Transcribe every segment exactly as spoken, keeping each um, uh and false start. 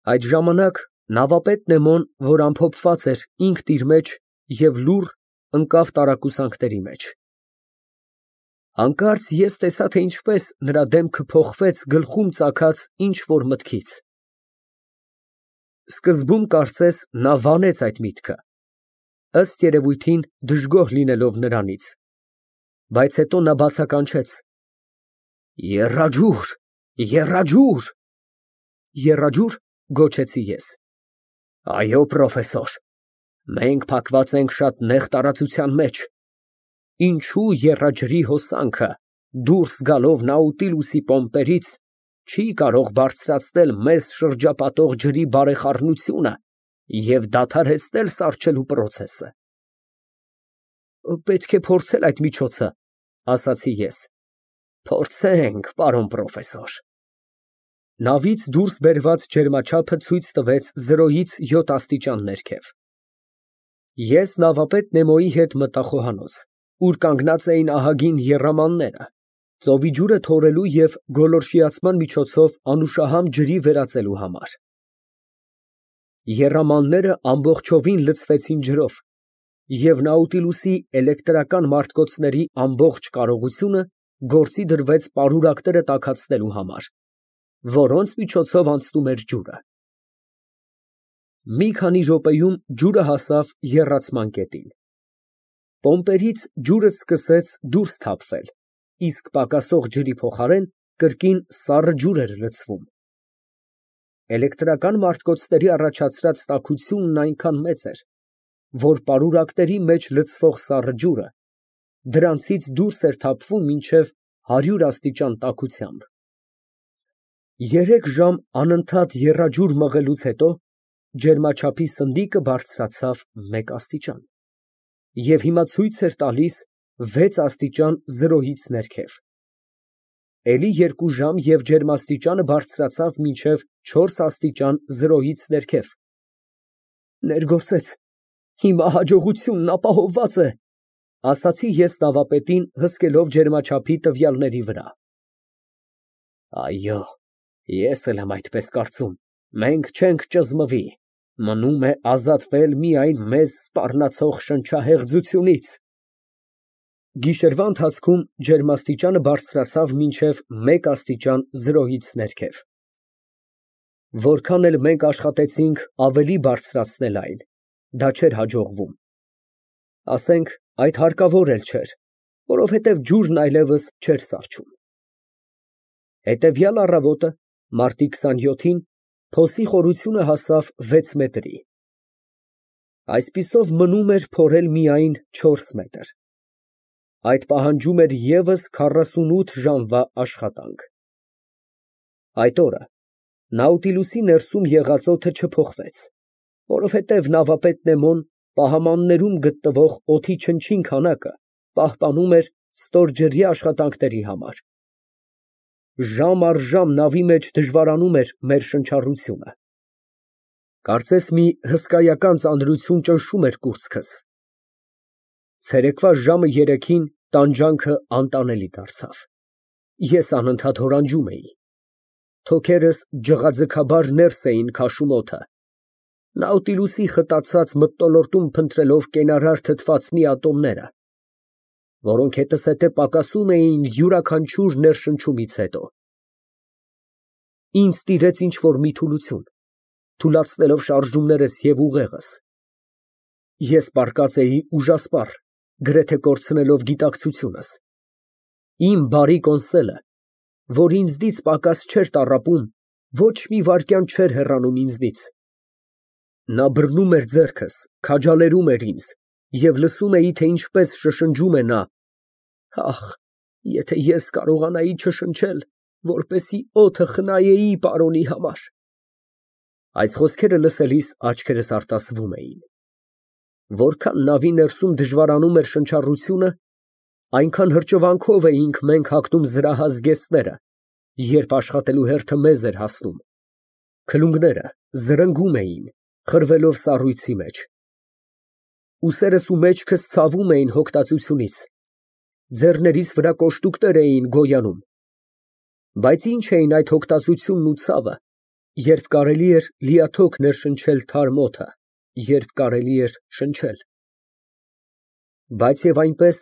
Այդ ժամանակ նավապետ Նեմոն, որ ամփոփված էր ինքն իր մեջ և լուռ, ընկավ տարակուսանքների մեջ։ Հանկարծ ես տեսա, թե ինչպես նրա դեմքը փոխվեց գլխում ծագած ինչ֊որ մտքից։ Սկզբում կարծես նա վանեց այդ միտքը, ըստ երևույթին դժգոհ լինելով նրանից, բայց հետո նա բացականչեց. Եռաջուր, եռաջուր։ Եռաջո՞ւր, գոչեցի ես։ Այո, պրոֆեսոր, մենք փակված ենք շատ նեղ տարածության մեջ, ինչու եռաջրի հոսանքը դուրս գալով Նաուտիլուսի պոմպերից չի կարող բարձրացնել մեզ շրջապատող ջրի բարեխառնությունը և դադարեցնել սառչելու պրոցեսը։ Պետք է փորձել այդ միջոցը, ասացի ես։ Փորձենք, պարոն պրոֆեսոր։ Նավից դուրս բերված ջերմաչափը ցույց տվեց զրոյից յոթ աստիճան ներքև։ Ես նավապետ Նեմոյի հետ մտա խոհանոց, ուր կանգնած էին ահագին եռամանները, ծովի ջուրը թորելու և գոլորշիացման միջոցով անուշահամ ջրի վերածելու համար։ Եռամանները ամբողջովին լցվեցին ջրով, և Նաուտիլուսի էլեկտրական մարտկոցների ամբողջ կարողությունը գործի դրվեց պարուրակները տաքացնելու համար, որոնց միջոցով անցնում էր ջուրը։ Մի քանի րոպեում ջուրը հասավ եռացման կետին։ Պոմպերից ջուրը սկսեց դուրս թափվել, իսկ պակասող ջրի փոխարեն կրկին սառը ջուր էր լցվում։ Էլեկտրական մարտկոցների առաջացրած տաքությունն այնքան մեծ էր, որ պարուրակների մեջ լցվող սառը ջուրը դրանցից դուրս էր թափվում մինչև հարյուր աստիճան տաքությամբ։ Երեք ժամ անընդհատ եռաջուր մղելուց հետո ջերմաչափի սնդիկը բարձրացավ մեկ աստիճան և հիմա ցույց էր տալիս վեց աստիճան զրոյից ներքև։ Էլի երկու ժամ և ջերմաստիճանը բարձրացավ մինչև չորս աստիճան զրոյից ներքև։ Ներգործեց, հիմա հաջողությունն ապահովված է, ասացի ես նավապետին, հսկելով ջերմաչափի տվյալների վրա։ Այո, ես էլ եմ այդպես կարծում, մենք չենք ճզմվի, մնում է ազատվել միայն մեզ սպառնացող շնչահեղձությունից։ Գիշերվա ընթացքում ջերմաստիճանը բարձրացավ մինչև մեկ աստիճան զրոյից ներքև։ Որքան էլ մենք աշխատեցինք ավելի բարձրացնել այն, դա չէր հաջողվում։ Ասենք այդ հարկավոր էլ չէր, որովհետև ջուրն այլևս չէր սառչում։ Հետևյալ առավոտը, մարտի քսանյոթին, փոսի խորությունը հասավ վեց մետրի։ Այսպիսով մնում էր փորել միայն չորս մետր։ Այդ պահանջում էր ևս քառասունութ ժամվա աշխատանք։ Այդ օրը Նաուտիլուսի ներսում եղած օդը չփոխվեց, որովհետև նավապետ Նեմոն պահամաններում գտնվող օդի չնչին քանակը պահպանում էր ստորջրյա աշխատանքների համար։ Ժամ առ ժամ նավի մեջ դժվարանում էր մեր շնչառությունը։ Կարծես մի հսկայական ծանրություն ճնշում էր կուրծքս։ Ցերեկվա ժամը երեքին տանջանքը անտանելի դարձավ։ Ես անընդհատ հորանջում էի։ Թոքերս ջղաձգաբար ներս էին քաշում օդը, Նաուտիլուսի խտացած մթնոլորտում փնտրելով կենարար թթվածնի ատոմները, որոնք հետզհետե պակասում էին յուրաքանչյուր ներշնչումից հետո։ Ինձ տիրեց ինչ֊որ մի թուլություն, թուլացնելով շարժումներս և ուղեղս։ Ես պառկած էի ուժասպառ, գրեթե կորցնելով գիտակցությունս։ Իմ բարի կոնսոլը, որ ինձնից պակաս չէր տառապում, ոչ մի վայրկյան չէր հեռանում ինձնից։ Նա բռնում էր ձեռքս, քաջալերում էր ինձ, և լսում էի, թե ինչպես շշնջում է նա. «Ախ, եթե ես կարողանայի չշնչել, որպեսզի օդը խնայեի պարոնի համար»։ Այս խոսքերը լսելիս աչքերս արտասվում էին։ Որքան նավի ներսում դժվարանում էր շնչառությունը, այնքան հրճվանքով էինք մենք հագնում զրահ զգեստները, երբ աշխատելու հերթը մեզ էր հասնում։ Քլունգները զրնգում էին, խրվելով սառույցի մեջ։ Ուսերս ու մեջքս ցավում էին հոգտածությունից, ձեռներիս վրա կոշտուկներ էին գոյանում։ Բայց ի՞նչ էին այդ հոգտածությունն ու ցավը, Երբ կարելի էր լիաթոք ներշնչել թարմ օդը, երբ կարելի էր շնչել… Բայց և այնպես,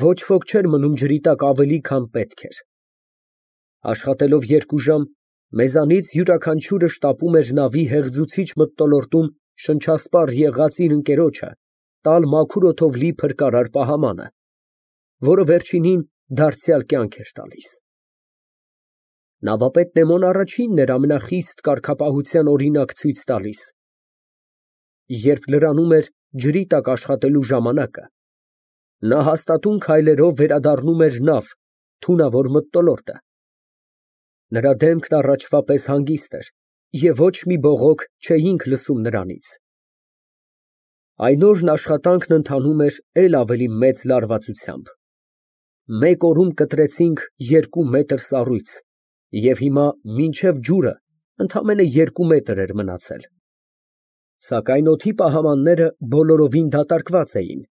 ոչ ոք չէր մնում ջրի տակ ավելի, քան պետք էր. աշխատելով երկու ժամ, մեզանից յուրաքանչյուրը շտապում էր նավի հեղձուցիչ մթնոլորտում շնչասպառ եղած իր ընկերոջը տալ մաքուր օդով լի փրկարար պահամանը, որը վերջինին դարձյալ կյանք էր տալիս։ Նավապետ Նեմոն առաջինն էր ամենախիստ կարգապահության օրինակ ցույց տալիս. երբ լրանում էր ջրի տակ աշխատելու ժամանակը, նա հաստատուն քայլերով վերադառնում էր նավ, թունավոր մթնոլորտը։ Նրա դեմքն առաջվա պես հանգիստ էր, և ոչ մի բողոք չէինք լսում նրանից։ Այն օրն աշխատանքն ընթանում էր էլ ավելի մեծ լարվածությամբ։ Մեկ օրում կտրեցինք երկու մետր սառույց, և հիմա մինչև ջուրը ընդամենը երկու մետր էր մնացել։ Սակայն օդի պահամանները բոլորովին դատարկված էին,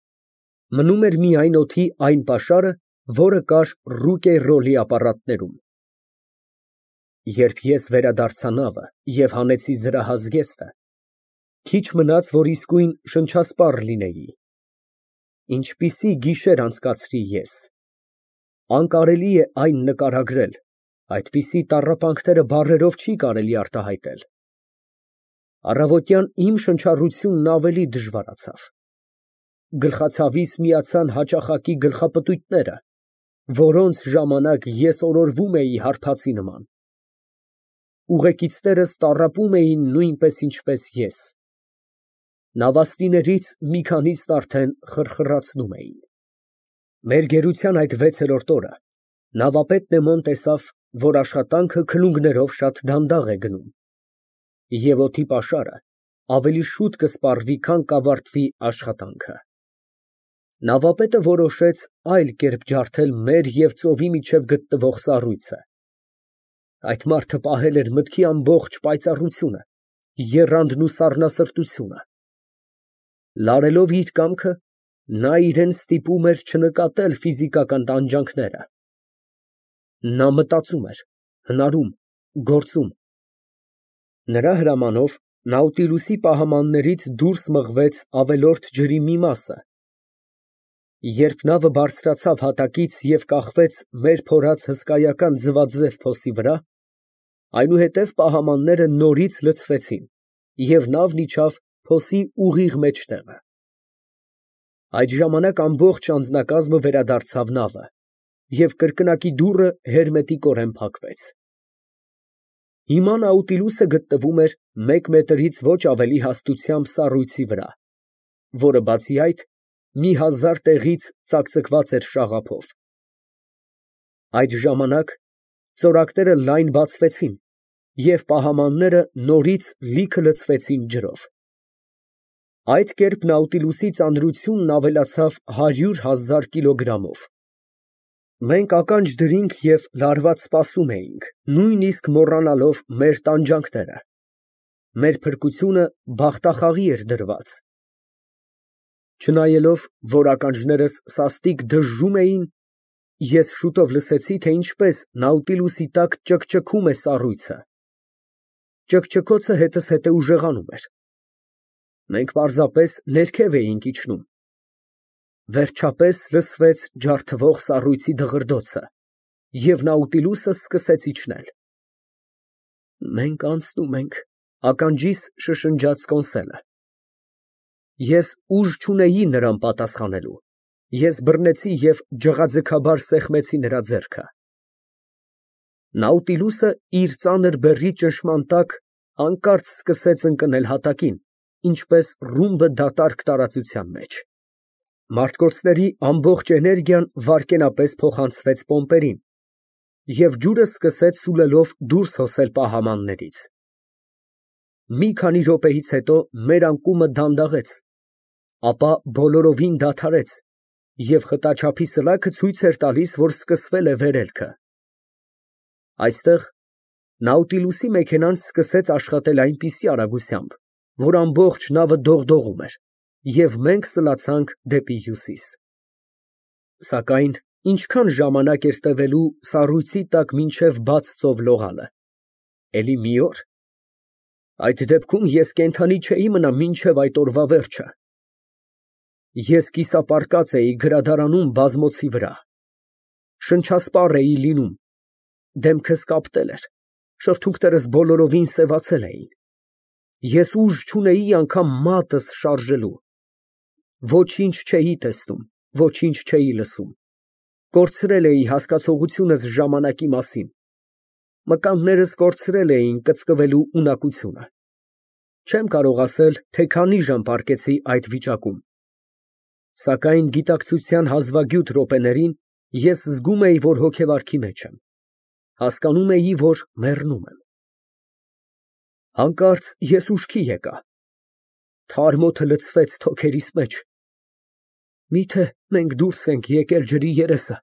մնում էր միայն օդի այն պաշարը, որը կար ռուկերռոլի ապարատներում։ Երբ ես վերադարձա նավը և հանեցի զրահազգեստը, քիչ մնաց, որ իսկույն շնչասպառ լինեի։ Ինչպիսի գիշեր անցկացրի ես… Անկարելի է այն նկարագրել, այդպիսի տառապանքները բառերով չի կարելի արտահայտել։ Առավոտյան իմ շնչառությունն ավելի դժվարացավ։ Գլխացավիս միացան հաճախակի գլխապտույտները, որոնց ժամանակ ես օրորվում էի հարբածի նման։ Ուղեկիցներս տառապում էին նույնպես, ինչպես ես։ Նավաստիներից մի քանիսն արդեն խրխռացնում էին։ Մեր գերության այդ վեցերորդ օրը նավապետ Նեմոն տեսավ, որ աշխատանքը քլունգներով շատ դանդաղ է գնում, և օդի պաշարը ավելի շուտ կսպառվի, քան կավարտվի աշխատանքը։ Նավապետը որոշեց այլ կերպ ջարդել մեր և ծովի միջև գտնվող սառույցը։ Այդ մարդը պահել էր մտքի ամբողջ պայծառությունը, եռանդն ու սառնասրտությունը։ Լարելով իր կամքը, նա իրան ստիպում էր չնկատել ֆիզիկական տանջանքները։ Նա մտածում էր, հնարում, գործում։ Նրա հրամանով Նաուտիլուսի պահամաններից դուրս մղվեց ավելորդ ջրի մի մասը։ Երբ նավը բարձրացավ հատակից և կախվեց մեր փորած հսկայական ձվաձև փոսի վրա, այնուհետև պահամանները նորից լցվեցին, և նավն իջավ փոսի ուղիղ մեջտեղը։ Այդ ժամանակ ամբողջ անձնակազմը վերադարձավ նավը, և կրկնակի դուռը հերմետիկորեն փակվեց։ Հիմա Նաուտիլուսը գտնվում էր մեկ մետրից ոչ ավելի հաստությամբ սառույցի վրա, որը, բացի այդ, մի հազար տեղից ծակծկված էր շաղափով։ Այդ ժամանակ ծորակները լայն բացվեցին, և պահամանները նորից լիքը լցվեցին ջրով։ Այդ կերպ Նաուտիլուսի ծանրությունն ավելացավ հարյուր հազար կիլոգրամով։ Մենք ականջ դրինք և լարված սպասում էինք, նույնիսկ մոռանալով մեր տանջանքները։ Մեր փրկությունը բախտախաղի էր դրված։ Չնայելով, որ ականջներս սաստիկ դժժում էին, ես շուտով լսեցի, թե ինչպես Նաուտիլուսի տակ ճկճկում է սառույցը։ Ճկճկոցը հետզհետե ուժեղանում էր։ Մենք պարզապես ներքև էինք իջնում։ Վերջապես լսվեց ջարդվող սառույցի դղրդոցը, և Նաուտիլուսը սկսեց իջնել։ «Մենք անցնում ենք», ֊ ականջիս շշնջաց Կոնսելը։ Ես ուժ չունեի նրան պատասխանելու։ Ես բռնեցի և ջղաձգաբար սեղմեցի նրա ձեռքը։ Նաուտիլուսը իր ծանր բեռի ճնշման տակ հանկարծ սկսեց ընկնել հատակին, ինչպես ռումբը դատարկ տարածության մեջ։ Մարտկոցների ամբողջ էներգիան վայրկենապես փոխանցվեց պոմպերին, և ջուրը սկսեց սուլելով դուրս հոսել պահամաններից։ Մի քանի րոպեից հետո մեր անկումը դանդաղեց, ապա բոլորովին դադարեց, և խտաչափի սլաքը ցույց էր տալիս, որ սկսվել է վերելքը։ Այստեղ Նաուտիլուսի մեքենան սկսեց աշխատել այնպիսի արագությամբ, որ ամբողջ նավը դողդողում էր, և մենք սլացանք դեպի հյուսիս։ Սակայն ինչքա՞ն ժամանակ էր տևելու սառույցի տակ մինչև բաց ծով լողալը։ Էլի մի օր։ Այդ դեպքում ես կենդանի չէի մնա մինչև այդ օրվա վերջը։ Ես կիսապարկած էի գրադարանում բազմոցի վրա, շնչասպառ էի լինում, դեմքս կապտել էր, շրթունքներս բոլորովին սևացել էին, ես ուժ չունեի անգամ մատս շարժելու, ոչինչ չէի տեսնում, ոչինչ չէի լսում, կորցրել էի հասկացողությունս ժամանակի մասին, մկաններս կորցրել էին կծկվելու ունակությունը, չեմ կարող ասել, թե քանի ժամ պառկեցի այդ վիճակում, սակայն գիտակցության հազվագյուտ րոպեներին ես զգում էի, որ հոգեվարքի մեջ եմ, հասկանում էի, որ մեռնում եմ։ Հանկարծ ես ուշքի եկա, թարմ օդը լցվեց թոքերիս մեջ, միթե մենք դուրս ենք եկել ջրի երեսը,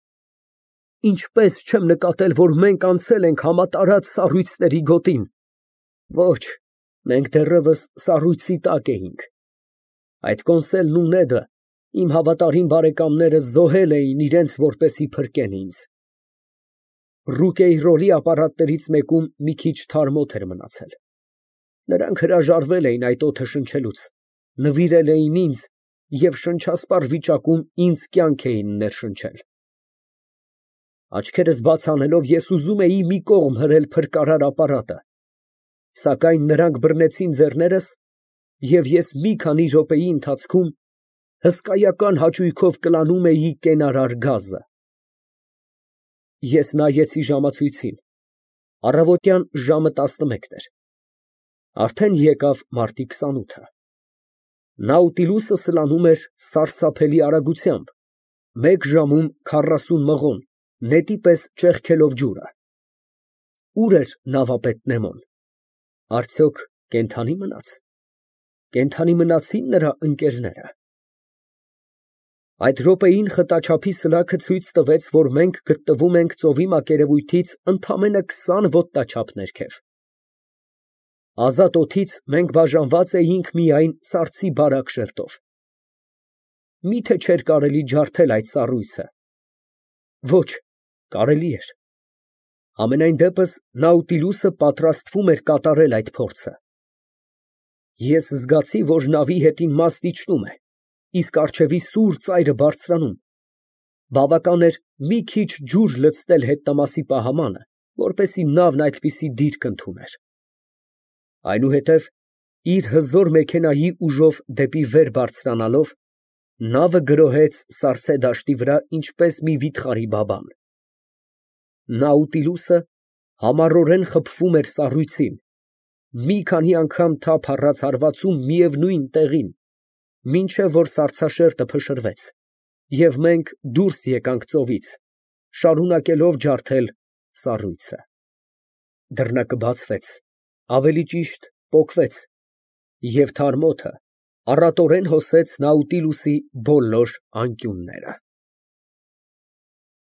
ինչպես չեմ նկատել, որ մենք անցել ենք համատարած սառույցների գոտին, ոչ, մենք դեռևս սառույցի տակ էինք, այդ կոնսոլն ու Նեդը, իմ հավատարիմ բարեկամները զոհել էին իրենց, որպեսզի փրկեն ինձ։ Ռուկեյրորի ապարատներից մեկում մի քիչ թարմ օդ էր մնացել, նրանք հրաժարվել էին այդ օդը շնչելուց, նվիրել էին ինձ և շնչասպառ վիճակում ինձ կյանք էին ներշնչել։ Աչքերս բաց անելով ես ուզում էի մի կողմ հրել փրկարար ապարատը, սակայն նրանք բռնեցին ձեռներս, և ես մի քանի րոպեի ընթացքում հսկայական հաճույքով կլանում էի կենարար գազը։ Ես նայեցի ժամացույցին, առավոտյան ժամը տասնմեկն էր, արդեն եկավ մարտի քսանութը, Նաուտիլուսը սլանում էր սարսափելի արագությամբ, մեկ ժամում քառասուն մղոն, նետի պես ճեղքելով ջուրը։ Ո՞ւր էր նավապետ Նեմոն, արդյոք կենդանի մնաց, կենդանի մնացի՞ն նրա ընկերները։ Այդ րոպեին խտաչափի սլաքը ցույց տվեց, որ մենք գտնվում ենք ծովի մակերևույթից ընդամենը քսան ոտնաչափ ներքև։ Ազատ օդից մենք բաժանված էինք միայն սառցի բարակ շերտով։ Մի՞թե չէր կարելի ջարդել այդ սառույցը։ Ոչ, կարելի էր։ Համենայն դեպս Նաուտիլուսը պատրաստվում էր կատարել այդ փորձը։ Ես զգացի, որ նավի հետին մաստ իջնում է, իսկ առջևի սուր ծայրը բարձրանում, բավական էր մի քիչ ջուր լցնել հետնամասի պահամանը, որպեսզի նավն այդպիսի դիրք ընդուներ։ Այնուհետև իր հզոր մեքենայի ուժով դեպի վեր բարձրանալով, նավը գրոհեց սառցե դաշտի վրա, ինչպես մի վիթխարի բաբան։ Նաուտիլուսը համառորեն խփվում էր սառույցին, մի քանի անգամ թափ առած հարվածում միևնույն տեղին, մինչև որ սառցաշերտը փշրվեց, և մենք դուրս եկանք ծովից, շարունակելով ջարդել սառույցը։ Դռնակը բացվեց, ավելի ճիշտ պոկվեց, և թարմ օդը առատորեն հոսեց Նաուտիլուսի բոլոր անկյունները։